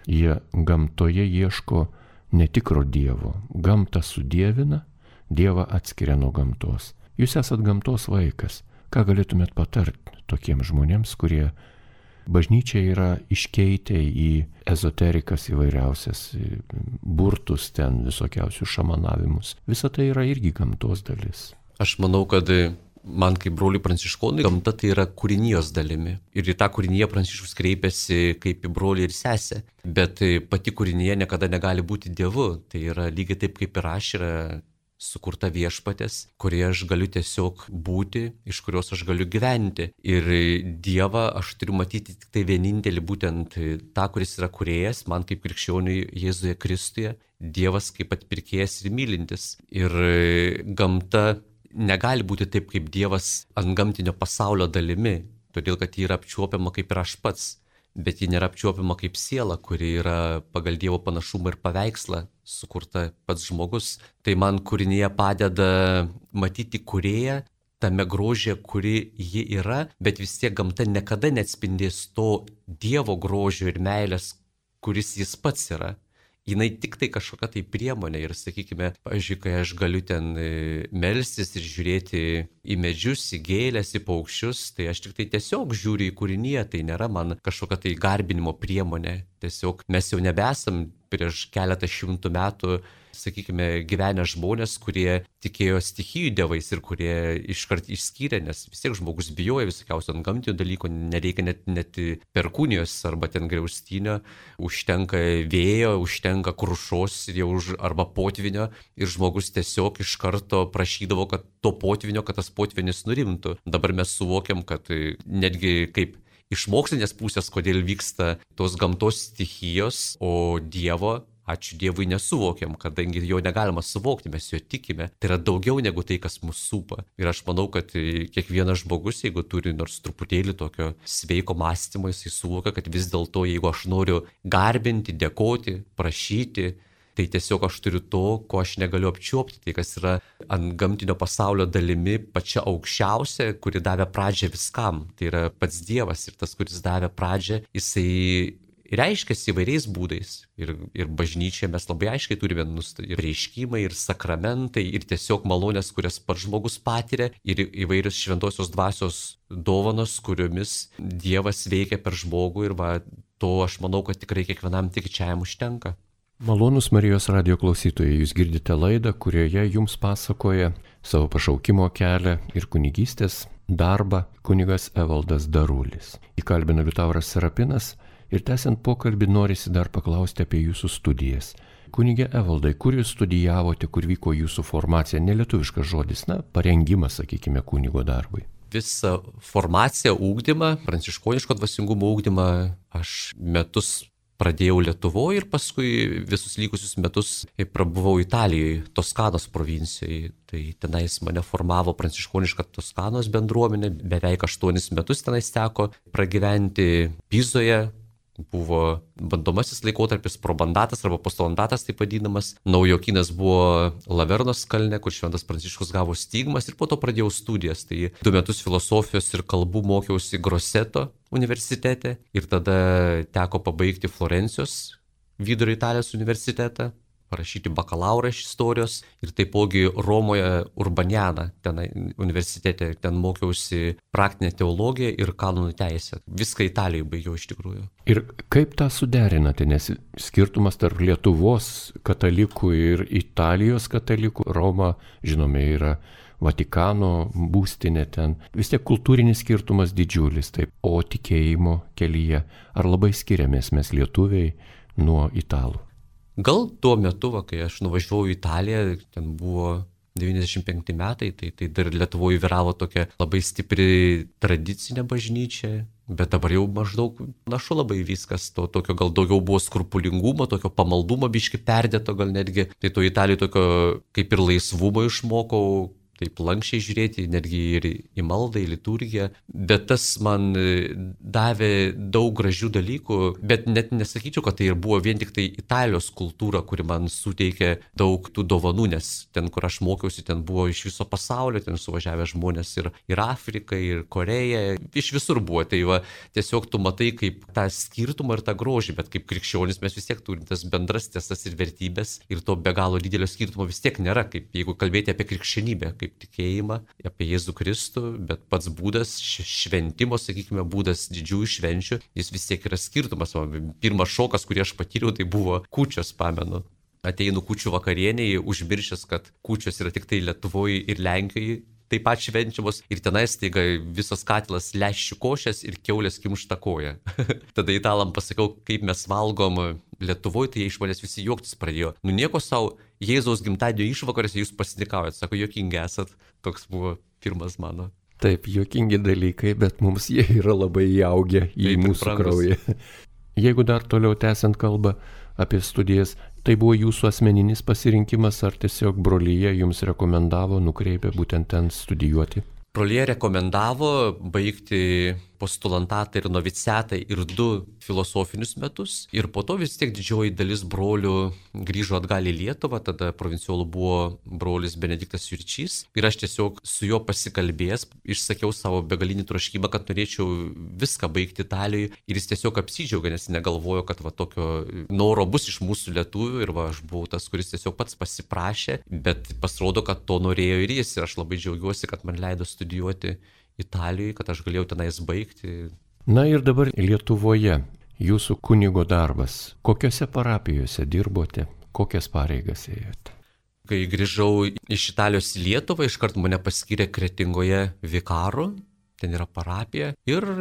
Jie gamtoje ieško netikro Dievo. Gamtą sudievina, Dievą atskiria nuo gamtos. Jūs esat gamtos vaikas. Ką galėtumėt patarti tokiems žmonėms, kurie bažnyčia yra iškeitę į ezoterikas įvairiausias, burtus ten, visokiausius šamanavimus. Visa tai yra irgi gamtos dalis. Aš manau, kad man kaip broliui pranciškonui gamta tai yra kūrinijos dalimi. Ir į tą kūriniją Pranciškus kreipiasi kaip į brolį ir sesę. Bet pati kūrinija niekada negali būti Dievu. Tai yra lygiai taip kaip ir aš yra sukurta viešpatės, kurioje aš galiu tiesiog būti, iš kurios aš galiu gyventi. Ir Dievą aš turiu matyti tik tai vienintelį, būtent tą, kuris yra kūrėjas, man kaip krikščioniui Jėzuje Kristuje, Dievas kaip atpirkėjas ir mylintis. Ir gamta negali būti taip kaip Dievas antgamtinio pasaulio dalimi, todėl kad ji yra apčiuopiama kaip ir aš pats. Bet ji nėra apčiuopiama kaip siela, kuri yra pagal Dievo panašumą ir paveikslą sukurta pats žmogus. Tai man kūrinyje padeda matyti kūrėją tame grožyje, kuri ji yra, bet vis tiek gamta niekada neatspindės to Dievo grožio ir meilės, kuris jis pats yra. Jinai tik tai kažkokia tai priemonė ir, sakykime, pavyzdžiui, kai aš galiu ten melstis ir žiūrėti į medžius, į gėlės, į paukščius, tai aš tik tai tiesiog žiūriu į kūriniją, tai nėra man kažkokia tai garbinimo priemonė. Tiesiog mes jau nebesam prieš keletą šimtų metų, sakykime, gyvenę žmonės, kurie tikėjo stichijų dievais ir kurie iškart išskyrė, nes vis tiek žmogus bijoja visokiausių antgamtinių dalykų, nereikia net, net perkūnijos arba ten griaustinio, užtenka vėjo, užtenka krušos ir jau už, arba potvinio ir žmogus tiesiog iš karto prašydavo, kad to potvinio, kad tas potvinis nurimtų. Dabar mes suvokiam, kad netgi kaip iš mokslinės pusės, kodėl vyksta tos gamtos stichijos, o Dievo, ačiū Dievui, nesuvokiam, kadangi jo negalima suvokti, mes jo tikime. Tai yra daugiau negu tai, kas mus supa. Ir aš manau, kad kiekvienas žmogus, jeigu turi nors truputėlį tokio sveiko mąstymo, jisai suvokia, kad vis dėlto, jeigu aš noriu garbinti, dėkoti, prašyti, tai tiesiog aš turiu to, ko aš negaliu apčiuopti, tai kas yra ant gamtinio pasaulio dalimi pačia aukščiausia, kuri davė pradžią viskam. Tai yra pats Dievas ir tas, kuris davė pradžią, jisai reiškiasi įvairiais būdais. Ir, ir bažnyčioje mes labai aiškiai turime ir reiškimai, ir sakramentai, ir tiesiog malonės, kurias pats žmogus patiria, ir įvairios šventosios dvasios dovanos, kuriomis Dievas veikia per žmogų. Ir va, to aš manau, kad tikrai kiekvienam tikinčiajam užtenka. Malonūs Marijos radijo klausytojai, jūs girdite laidą, kurioje jums pasakoja savo pašaukimo kelią ir kunigystės darbą kunigas Evaldas Darulis. Įkalbina Liutauras Serapinas ir tęsiant pokalbį norisi dar paklausti apie jūsų studijas. Kunige Evaldai, kur jūs studijavote, kur vyko jūsų formacija, nelietuviškas žodis, na, parengimas, sakykime, kunigo darbui. Visą formaciją, ūkdymą, pranciškoniško dvasingumo ūkdymą aš metus pradėjau Lietuvoje ir paskui visus likusius metus prabuvau Italijoje, Toskanos provincijoje. Tai tenais mane formavo pranciškoniška Toskanos bendruomenė, beveik aštuonis metus tenais teko pragyventi Pizoje. Buvo bandomasis laikotarpis, probandatas arba postbandatas taip vadinamas. Naujokynas buvo Lavernos kalne, kur šventas Pranciškus gavo stigmas ir po to pradėjau studijas. Tai du metus filosofijos ir kalbų mokiausi Groseto universitete ir tada teko pabaigti Florencijos Vidurio Italijos universitetą, parašyti bakalaurą iš istorijos ir taipogi Romoje Urbaniana, ten universitete, ten mokiausi praktinę teologiją ir kanonų teisę. Viską Italijoje baigiau iš tikrųjų. Ir kaip tą suderinate, nes skirtumas tarp Lietuvos katalikų ir Italijos katalikų, Roma, žinome, yra Vatikano būstinė ten, vis tiek kultūrinis skirtumas didžiulis, taip, o tikėjimo kelyje, ar labai skiriamės mes lietuviai nuo italų? Gal tuo metu, va, kai aš nuvažiavau į Italiją, ten buvo devyniasdešimt penkti metai, tai, tai dar Lietuvoje vyravo tokia labai stipri tradicinė bažnyčia, bet dabar jau maždaug našu labai viskas, to tokio gal daugiau buvo skrupulingumo, tokio pamaldumo biški perdėto gal netgi, tai to Italijoje tokio kaip ir laisvumo išmokau, taip lankščiai žiūrėti, netgi ir į maldą, į liturgiją, bet tas man davė daug gražių dalykų, bet net nesakyčiau, kad tai ir buvo vien tik tai Italijos kultūra, kuri man suteikė daug tų dovanų, nes ten, kur aš mokiausi, ten buvo iš viso pasaulio, ten suvažiavę žmonės ir, ir Afrika, ir Koreja, iš visur buvo. Tai va, tiesiog tu matai kaip tą skirtumą ir tą grožį, bet kaip krikščionis mes vis tiek turim tas bendras tiesas ir vertybės ir to be galo didelio skirtumo vis tiek nėra, kaip jeigu kalbėti apie krikščionybę, kaip tikėjimą, apie Jėzų Kristų, bet pats būdas, šventimo, sakykime, būdas didžiųjų švenčių, jis vis tiek yra skirtumas. Pirmas šokas, kurį aš patyriau, tai buvo kūčios, pamenu. Ateinu kūčių vakarieniai, užmiršęs, kad kūčios yra tik tai Lietuvoje ir Lenkijoje taip pat švenčiamos ir tenais taiga visas katilas lęšių košės ir kiaulės kimšta koja. Tada italam pasakiau, kaip mes valgom Lietuvoje, tai jie iš manęs visi juoktis pradėjo. Nu nieko savo, Jėzaus gimtadienio išvakarėse jūs pasitikaujat, sako, juokingi esat. Toks buvo pirmas mano. Taip, juokingi dalykai, bet mums jie yra labai įaugę į taip, mūsų kraują. Jeigu dar toliau tęsiant kalbą apie studijas, tai buvo jūsų asmeninis pasirinkimas ar tiesiog brolyje jums rekomendavo, nukreipė būtent ten studijuoti? Brolyje rekomendavo baigti postulantatą ir noviciatą ir du filosofinius metus. Ir po to vis tiek didžioji dalis brolių grįžo atgal į Lietuvą, tada provinciolų buvo brolis Benediktas Jurčys. Ir aš tiesiog su juo pasikalbėjęs, išsakiau savo begalinį troškimą, kad norėčiau viską baigti Italijoje. Ir jis tiesiog apsidžiaugė, nes negalvojo, kad va tokio noro bus iš mūsų lietuvių. Ir va aš buvau tas, kuris tiesiog pats pasiprašė, bet pasirodo, kad to norėjo ir jis. Ir aš labai džiaugiuosi, kad man leido studijuoti Italijoje, kad aš galėjau tenais baigti. Na ir dabar Lietuvoje jūsų kunigo darbas. Kokiose parapijose dirbote, kokias pareigas ėjote? Kai grįžau iš Italijos į Lietuvą, iškart mane paskyrė Kretingoje vikaru, ten yra parapija, ir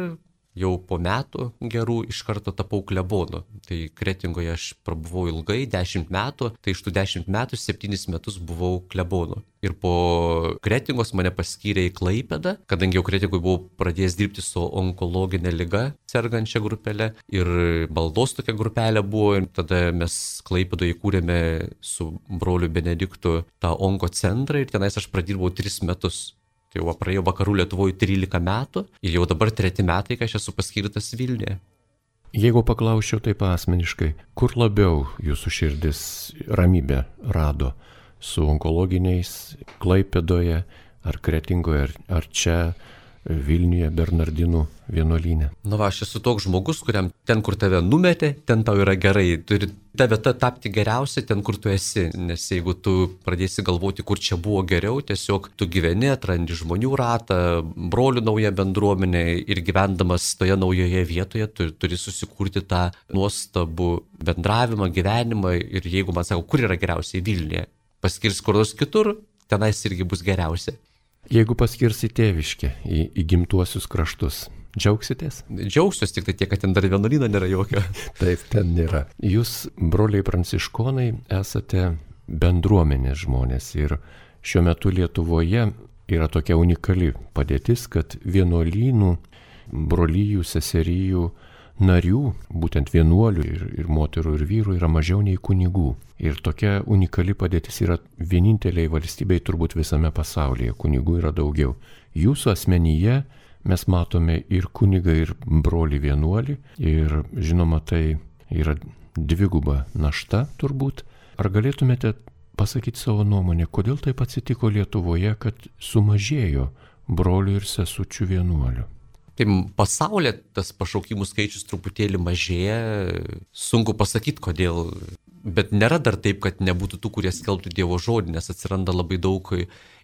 jau po metų gerų iš karto tapau klebonu. Tai Kretingoje aš prabuvau ilgai, dešimt metų, tai iš tų dešimt metų septynis metus buvau klebonu. Ir po Kretingos mane paskyrė į Klaipėdą, kadangi jau Kretingoje buvau pradėjęs dirbti su onkologinė liga sergančia grupelė ir maldos tokia grupelė buvo. Ir tada mes Klaipėdoje įkūrėme su broliu Benediktu tą onko centrą ir tenais aš pradirbau tris metus. Tai jau praėjo vakarų Lietuvoje trylika metų ir jau dabar treti metai, kai aš esu paskirtas Vilniuje. Jeigu paklausčiau taip asmeniškai, kur labiau jūsų širdis ramybę rado? Su onkologiniais Klaipėdoje ar Kretingoje, ar, ar čia Vilniuje Bernardinų vienuolyne? Na va, aš esu toks žmogus, kuriam ten, kur tave numetė, ten tau yra gerai. Turi ta vieta tapti geriausia ten, kur tu esi. Nes jeigu tu pradėsi galvoti, kur čia buvo geriau, tiesiog tu gyveni, atrandi žmonių ratą, brolių naują bendruomenę ir gyvendamas toje naujoje vietoje, tu turi susikurti tą nuostabų bendravimą, gyvenimą. Ir jeigu man sako, kur yra geriausiai Vilniuje, paskirs kur nors kitur, tenais irgi bus geriausia. Jeigu paskirsi tėviškę į, į gimtuosius kraštus, džiaugsitės? Džiaugsiuos, tik tai tiek, kad ten dar vienuolyno nėra jokio. Taip, ten nėra. Jūs, broliai pranciškonai, esate bendruomenės žmonės ir šiuo metu Lietuvoje yra tokia unikali padėtis, kad vienuolynų, brolyjų, seserijų narių, būtent vienuolių ir, ir moterų ir vyrų yra mažiau nei kunigų. Ir tokia unikali padėtis yra vieninteliai valstybei turbūt visame pasaulyje. Kunigų yra daugiau. Jūsų asmenyje mes matome ir kunigą, ir brolį vienuolį. Ir žinoma, tai yra dviguba našta turbūt. Ar galėtumėte pasakyti savo nuomonę, kodėl taip atsitiko Lietuvoje, kad sumažėjo brolių ir sesučių vienuolių? Tai pasaulyje tas pašaukimų skaičius truputėlį mažėja, sunku pasakyti kodėl, bet nėra dar taip, kad nebūtų tų, kurie skelbtų Dievo žodį, nes atsiranda labai daug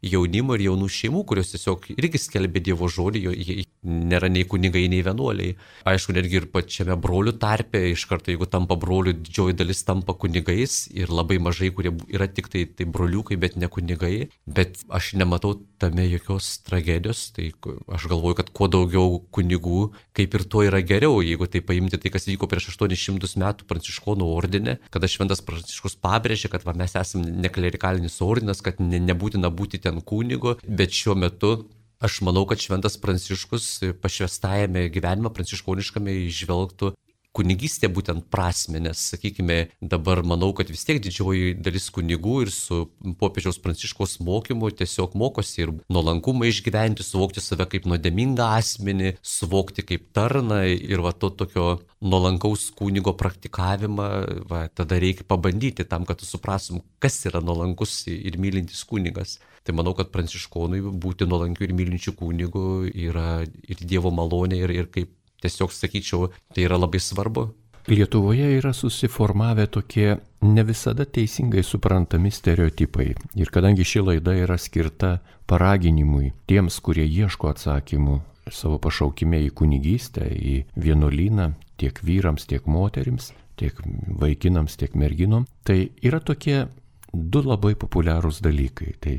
jaunimo ir jaunų šeimų, kurios tiesiog irgi skelbia Dievo žodį, jie nėra nei kunigai, nei vienuoliai. Aišku, netgi ir pačiame brolių tarpe, iš karto jeigu tampa brolių, didžioji dalis tampa kunigais ir labai mažai, kurie yra tik tai, tai broliukai, bet ne kunigai. Bet aš nematau tame jokios tragedijos, tai aš galvoju, kad kuo daugiau kunigų, kaip ir to yra geriau, jeigu tai paimti tai, kas vyko prieš aštuonis šimtus metų Pranciškonų ordine, kada Šventas Pranciškus pabrėžė, kad va, mes esame neklerikalinis ordinas, kad ne, nebūtina būti ten kunigo, bet šiuo metu aš manau, kad Šventas Pranciškus pašvęstajame gyvenime pranciškoniškame įžvelgtų kunigystė būtent prasme, nes, sakykime, dabar manau, kad vis tiek didžioji dalis kunigų ir su popiežiaus Pranciškaus mokymu tiesiog mokosi ir nuolankumą išgyventi, suvokti save kaip nuodėmingą asmenį, suvokti kaip tarną ir va to tokio nuolankaus kunigo praktikavimą, va, tada reikia pabandyti tam, kad tu suprasim, kas yra nuolankus ir mylintis kunigas. Tai manau, kad pranciškonui būti nuolankiu ir mylinčiu kunigu yra ir Dievo malonė ir, ir kaip tiesiog sakyčiau, tai yra labai svarbu. Lietuvoje yra susiformavę tokie ne visada teisingai suprantami stereotipai. Ir kadangi ši laida yra skirta paraginimui tiems, kurie ieško atsakymų savo pašaukime į kunigystę, į vienuolyną, tiek vyrams, tiek moterims, tiek vaikinams, tiek merginom, tai yra tokie du labai populiarūs dalykai. Tai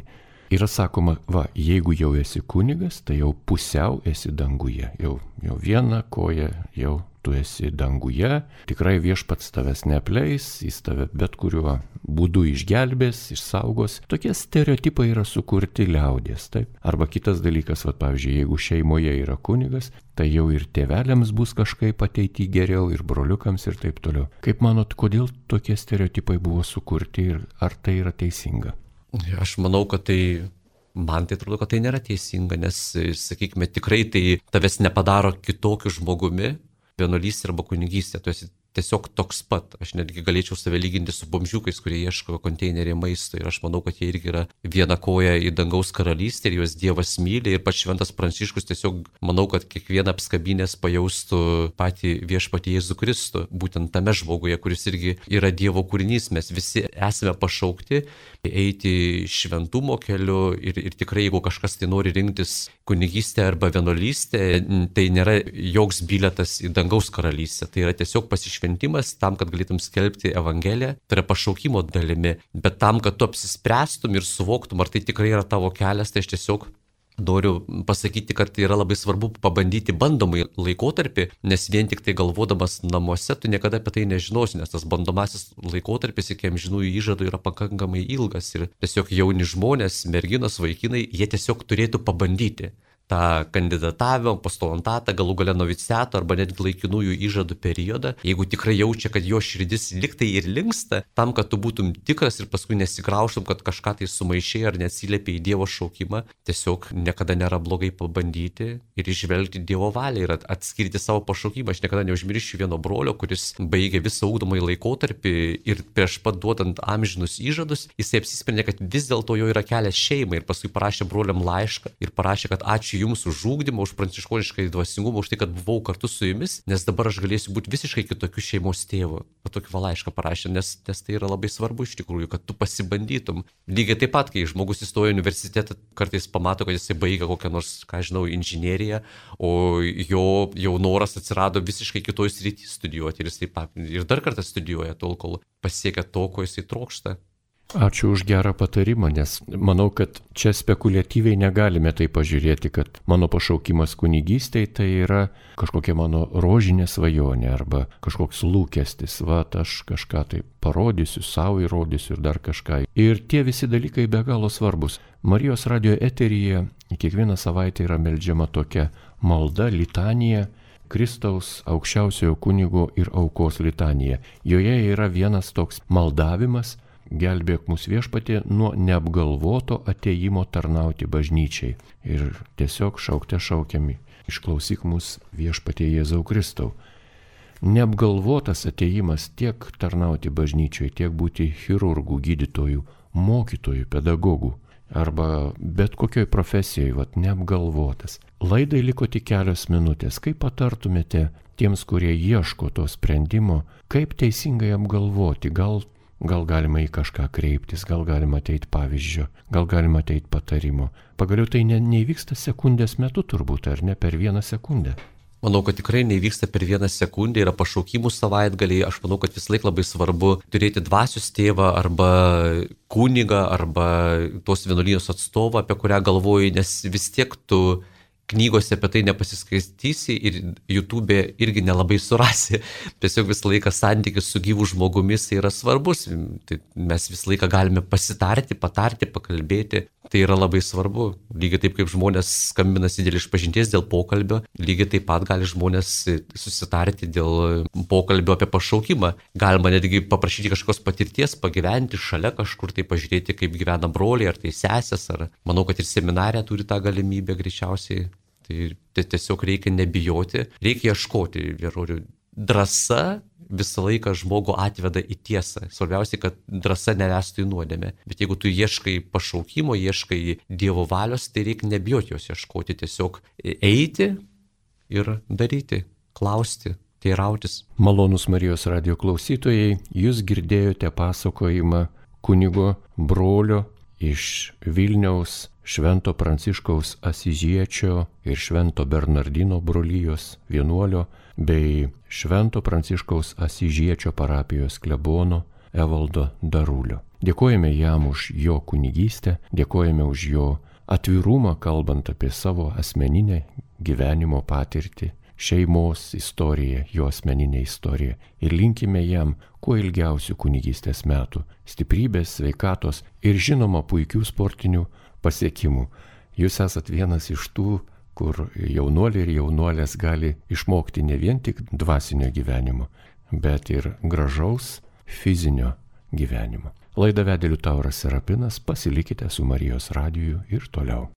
yra sakoma, va, jeigu jau esi kunigas, tai jau pusiau esi danguje. Jau, jau viena koja, jau tu esi danguje. Tikrai viešpats tavęs neapleis, jis tave bet kuriuo būdu išgelbės, išsaugos. Tokie stereotipai yra sukurti liaudies. Taip? Arba kitas dalykas, va, pavyzdžiui, jeigu šeimoje yra kunigas, tai jau ir tėveliams bus kažkaip ateity geriau, ir broliukams ir taip toliau. Kaip manot, kodėl tokie stereotipai buvo sukurti ir ar tai yra teisinga? Aš manau, kad tai, man tai atrodo, kad tai nėra teisinga, nes, sakykime, tikrai tai tavęs nepadaro kitokiu žmogumi, vienuolystė arba kunigystė, tu esi tiesiog toks pat. Aš netgi galėčiau save lyginti su bomžiukais, kurie ieško konteinerį maisto ir aš manau, kad jie irgi yra viena koja į dangaus karalystę ir juos Dievas myli ir pats Šventas Pranciškus tiesiog manau, kad kiekvieną apskabinės pajaustų patį viešpatį Jėzų Kristų, būtent tame žmoguje, kuris irgi yra Dievo kūrinys. Mes visi esame pašaukti eiti šventumo keliu ir, ir tikrai, jeigu kažkas tai nori rinktis kunigystę arba vienuolystę, tai nėra joks bilietas į dangaus karalystę, tai yra tiesiog pasišventimas tam, kad galėtum skelbti Evangeliją, tai yra pašaukimo dalimi, bet tam, kad tu apsispręstum ir suvoktum, ar tai tikrai yra tavo kelias, tai aš tiesiog noriu pasakyti, kad tai yra labai svarbu pabandyti bandomai laikotarpį, nes vien tik tai galvodamas namuose tu niekada apie tai nežinosi, nes tas bandomasis laikotarpis iki amžinųjų įžadų yra pakankamai ilgas ir tiesiog jauni žmonės, merginos, vaikinai, jie tiesiog turėtų pabandyti tą kandidatavimo, postulantatą, galų gale noviciato arba netgi laikinųjų įžadų periodą, jeigu tikrai jaučia, kad jo širdis liktai ir linksta, tam, kad tu būtum tikras ir paskui nesigraužtum, kad kažką tai sumaišai ar neatsiliepi į Dievo šaukimą, tiesiog niekada nėra blogai pabandyti ir išvelgti Dievo valią ir atskirti savo pašaukimą. Aš niekada neužmiršiu vieno brolio, kuris baigė visą ugdomąjį laikotarpį ir prieš pat duodant amžinus įžadus, jisai apsisprendė, kad vis dėlto jo yra kelias šeimai ir paskui parašė broliam laišką ir parašė, kad ačiū Jums už ugdymą, už pranciškonišką dvasingumą, už tai, kad buvau kartu su Jumis, nes dabar aš galėsiu būti visiškai kitokiu šeimos tėvu. O tokį va laišką parašė, nes, nes tai yra labai svarbu iš tikrųjų, kad tu pasibandytum. Lygiai taip pat, kai žmogus įstoja į universitetą, kartais pamato, kad jisai baigia kokią nors, ką žinau, inžineriją, o jo jau noras atsirado visiškai kitoj srity studijuoti ir jisai ir dar kartą studijuoja tol, kol pasiekia to, ko jisai trokšta. Ačiū už gerą patarimą, nes manau, kad čia spekuliatyviai negalime tai pažiūrėti, kad mano pašaukimas kunigystėje tai yra kažkokia mano rožinė svajonė arba kažkoks lūkestis, va, aš kažką tai parodysiu, savo įrodysiu ir dar kažką. Ir tie visi dalykai be galo svarbus. Marijos radijo eteryje kiekvieną savaitę yra meldžiama tokia malda, litanija, Kristaus aukščiausiojo kunigo ir aukos litanija. Joje yra vienas toks maldavimas: gelbėk mus viešpatie nuo neapgalvoto atėjimo tarnauti bažnyčiai. Ir tiesiog šaukte šaukiami: išklausyk mus viešpatie Jėzau Kristau. Neapgalvotas atėjimas tiek tarnauti bažnyčiai, tiek būti chirurgų, gydytojų, mokytojų, pedagogų arba bet kokioj profesijoj, vat neapgalvotas. Laidai liko tik kelios minutės. Kaip patartumėte tiems, kurie ieško to sprendimo, kaip teisingai apgalvoti? Gal Gal galima į kažką kreiptis, gal galima ateiti pavyzdžio, gal galima ateiti patarimo. Pagaliau tai ne, neįvyksta sekundės metu turbūt, ar ne per vieną sekundę. Manau, kad tikrai neįvyksta per vieną sekundę, yra pašaukimų savaitgaliai. Aš manau, kad vis laik labai svarbu turėti dvasios tėvą arba kunigą arba tos vienuolijos atstovą, apie kurią galvoji, nes vis tiek tu knygose apie tai nepasiskaitysi ir YouTube irgi nelabai surasi. Tiesiog visą laiką santykis su gyvu žmogumis yra svarbus. Tai mes visą laiką galime pasitarti, patarti, pakalbėti. Tai yra labai svarbu. Lygiai taip kaip žmonės skambinasi dėl išpažinties, dėl pokalbio, lygiai taip pat gali žmonės susitarti dėl pokalbio apie pašaukimą. Galima netgi paprašyti kažkokios patirties, pagyventi šalia kažkur, tai pažiūrėti, kaip gyvena broliai, ar tai sesės, ar manau, kad ir seminarė turi tą galimybę greičiausiai. Tai tiesiog reikia nebijoti, reikia ieškoti vyrorių. Drąsa visą laiką žmogų atveda į tiesą. Svarbiausia, kad drąsa nevestų į nuodėmę. Bet jeigu tu ieškai pašaukimo, ieškai Dievo valios, tai reikia nebijoti jos ieškoti. Tiesiog eiti ir daryti, klausti, teirautis. Malonūs Marijos radijo klausytojai, jūs girdėjote pasakojimą kunigo brolio iš Vilniaus Švento Pranciškaus Asižiečio ir Švento Bernardino brolijos vienuolio bei Švento Pranciškaus Asižiečio parapijos klebono Evaldo Darulio. Dėkojame jam už jo kunigystę, dėkojame už jo atvirumą, kalbant apie savo asmeninę gyvenimo patirtį, šeimos istoriją, jo asmeninę istoriją ir linkime jam kuo ilgiausių kunigystės metų, stiprybės, sveikatos ir žinoma puikių sportinių pasiekimų. Jūs esat vienas iš tų, kur jaunuoliai ir jaunuolės gali išmokti ne vien tik dvasinio gyvenimo, bet ir gražaus fizinio gyvenimo. Laidą vedė Liutauras Serapinas, pasilikite su Marijos radiju ir toliau.